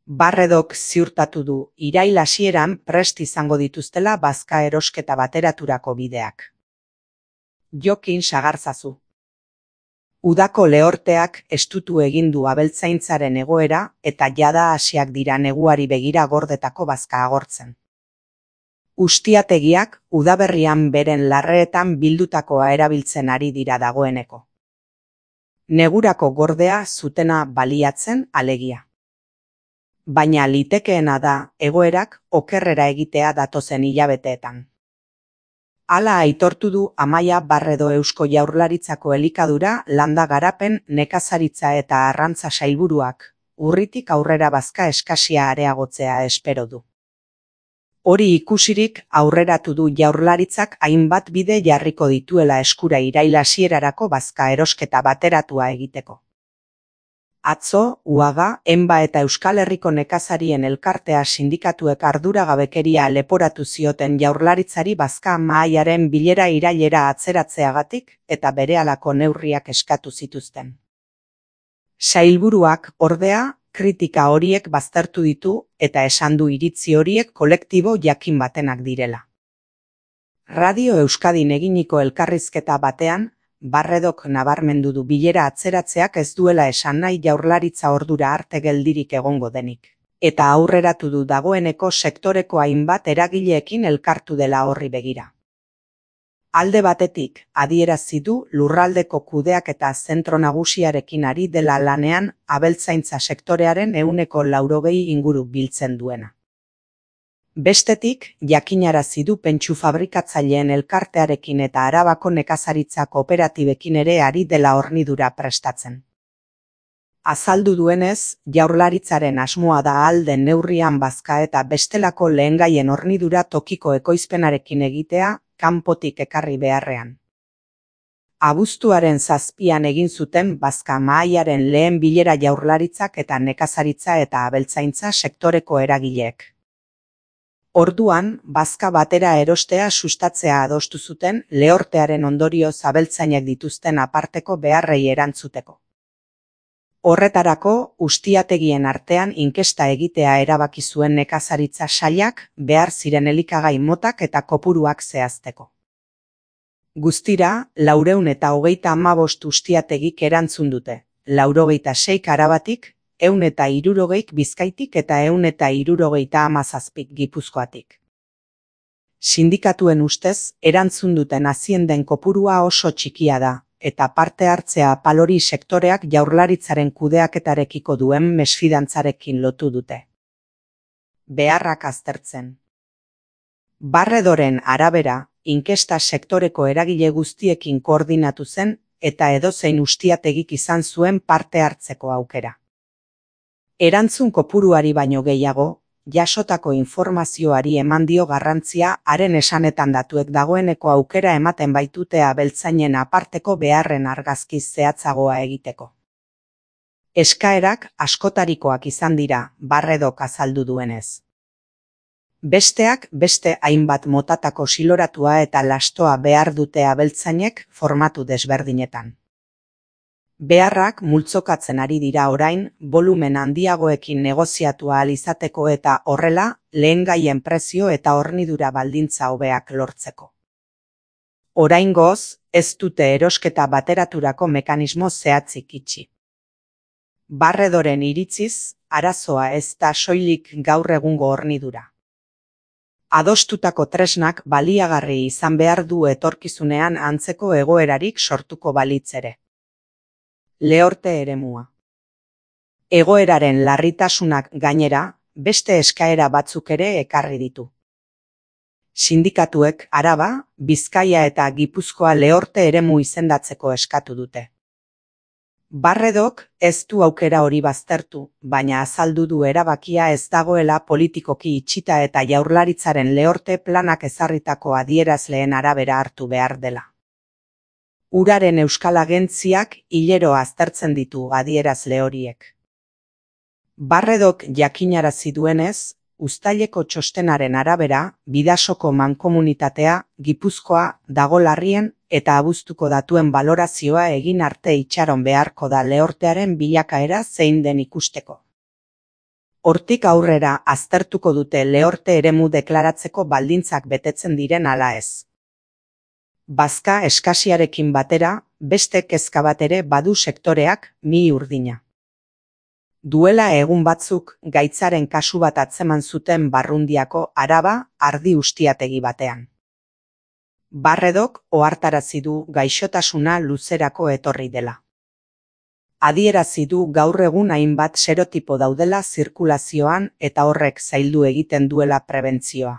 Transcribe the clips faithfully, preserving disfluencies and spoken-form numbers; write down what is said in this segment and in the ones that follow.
Barredok ziurtatu du irail hasieran prest izango dituztela bazka erosketa bateraturako bideak. Jokin sagarzazu. Udako lehorteak estutu egin du abeltzaintzaren egoera eta jada hasiak dira neguari begira gordetako bazka agortzen. Ustiategiak udaberrian beren larreetan bildutakoa erabiltzen ari dira dagoeneko. Negurako gordea zutena baliatzen alegia. Baina litekeena da egoerak okerrera egitea datozen hilabeteetan. Hala aitortu du Amaia Barredo Eusko Jaurlaritzako elikadura, landa garapen, nekazaritza eta arrantza sailburuak, urritik aurrera bazka eskasia areagotzea espero du. Hori ikusirik aurreratu du Jaurlaritzak hainbat bide jarriko dituela eskura irail hasierarako bazka erosketa bateratua egiteko. Atzo, Uaga, Enba eta Euskal Herriko nekazarien elkartea sindikatuek arduragabekeria leporatu zioten Jaurlaritzari bazka mahaiaren bilera irailera atzeratzeagatik eta berehalako neurriak eskatu zituzten. Sailburuak, ordea, kritika horiek baztertu ditu eta esan du iritzi horiek kolektibo jakin batenak direla. Radio Euskadin eginiko elkarrizketa batean, Barredok nabarmendu du bilera atzeratzeak ez duela esan nahi Jaurlaritza ordura arte geldirik egongo denik. Eta aurreratu du dagoeneko sektoreko hainbat eragileekin elkartu dela horri begira. Alde batetik, adierazi du lurraldeko kudeaketa zentro nagusiarekin ari dela lanean abeltzaintza sektorearen ehuneko laurogei inguru biltzen duena. Bestetik, jakinarazi du pentsu fabrikatzaileen elkartearekin eta Arabako nekazaritza kooperatibekin ere ari dela hornidura prestatzen. Azaldu duenez, Jaurlaritzaren asmoa da ahal den neurrian bazka eta bestelako lehengaien hornidura tokiko ekoizpenarekin egitea, kanpotik ekarri beharrean. Abuztuaren zazpian egin zuten bazka mahaiaren lehen bilera Jaurlaritzak eta nekazaritza eta abeltzaintza sektoreko eragileek. Orduan, bazka batera erostea sustatzea adostu zuten lehortearen ondorioz abeltzainek dituzten aparteko beharrei erantzuteko. Horretarako, ustiategien artean inkesta egitea erabaki zuen nekazaritza sailak behar ziren elikagai motak eta kopuruak zehazteko. Guztira, laurehun eta hogeita hamabost ustiategik erantzun dute, laurogeita seik Arabatik, ehun eta hirurogeik Bizkaitik eta ehun eta hirurogeita hamazazpik Gipuzkoatik. Sindikatuen ustez, erantzun duten azienden kopurua oso txikia da, eta parte hartzea palori sektoreak Jaurlaritzaren kudeaketarekiko duen mesfidantzarekin lotu dute. Beharrak aztertzen. Barredoren arabera, inkesta sektoreko eragile guztiekin koordinatu zen eta edozein ustiategik izan zuen parte hartzeko aukera. Erantzun kopuruari baino gehiago, jasotako informazioari eman dio garrantzia haren esanetan datuek dagoeneko aukera ematen baitute abeltzainen aparteko beharren argazki zehatzagoa egiteko. Eskaerak askotarikoak izan dira, Barredok azaldu duenez. Besteak beste hainbat motatako siloratua eta lastoa behar dute abeltzainek formatu desberdinetan. Beharrak multzokatzen ari dira orain, volumen handiagoekin negoziatu ahal izateko eta horrela, lehengaien prezio eta hornidura baldintza hobeak lortzeko. Oraingoz, ez dute erosketa bateraturako mekanismo zehatzik itxi. Barredoren iritziz, arazoa ez da soilik gaur egungo hornidura. Adostutako tresnak baliagarri izan behar du etorkizunean antzeko egoerarik sortuko balitz ere. Lehorte eremua. Egoeraren larritasunak gainera, beste eskaera batzuk ere ekarri ditu. Sindikatuek Araba, Bizkaia eta Gipuzkoa lehorte eremu izendatzeko eskatu dute. Barredok ez du aukera hori baztertu, baina azaldu du erabakia ez dagoela politikoki itxita eta Jaurlaritzaren lehorte planak ezarritako adierazleen arabera hartu behar dela. Uraren Euskal Agentziak hilero aztertzen ditu adierazle horiek. Barredok jakinarazi duenez, uztaileko txostenaren arabera, Bidasoko mankomunitatea, Gipuzkoa, dago larrien eta abuztuko datuen balorazioa egin arte itxaron beharko da lehortearen bilakaera zein den ikusteko. Hortik aurrera aztertuko dute lehorte eremu deklaratzeko baldintzak betetzen diren ala ez. Bazka eskasiarekin batera, beste kezka bat ere badu sektoreak, mi urdina. Duela egun batzuk gaitzaren kasu bat atzeman zuten Barrundiako Araba ardi ustiategi batean. Barredok ohartarazi du gaixotasuna luzerako etorri dela. Adierazi du gaur egun hainbat serotipo daudela zirkulazioan eta horrek zaildu egiten duela prebentzioa.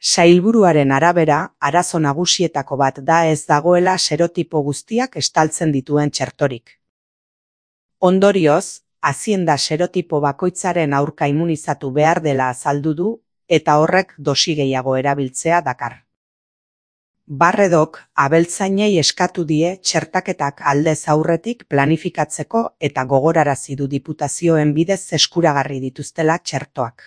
Sailburuaren arabera, arazo nagusietako bat da ez dagoela serotipo guztiak estaltzen dituen txertorik. Ondorioz, azienda serotipo bakoitzaren aurka immunizatu behar dela azaldu du eta horrek dosi gehiago erabiltzea dakar. Barredok abeltzainei eskatu die txertaketak aldez aurretik planifikatzeko eta gogorarazi du diputazioen bidez eskuragarri dituztela txertoak.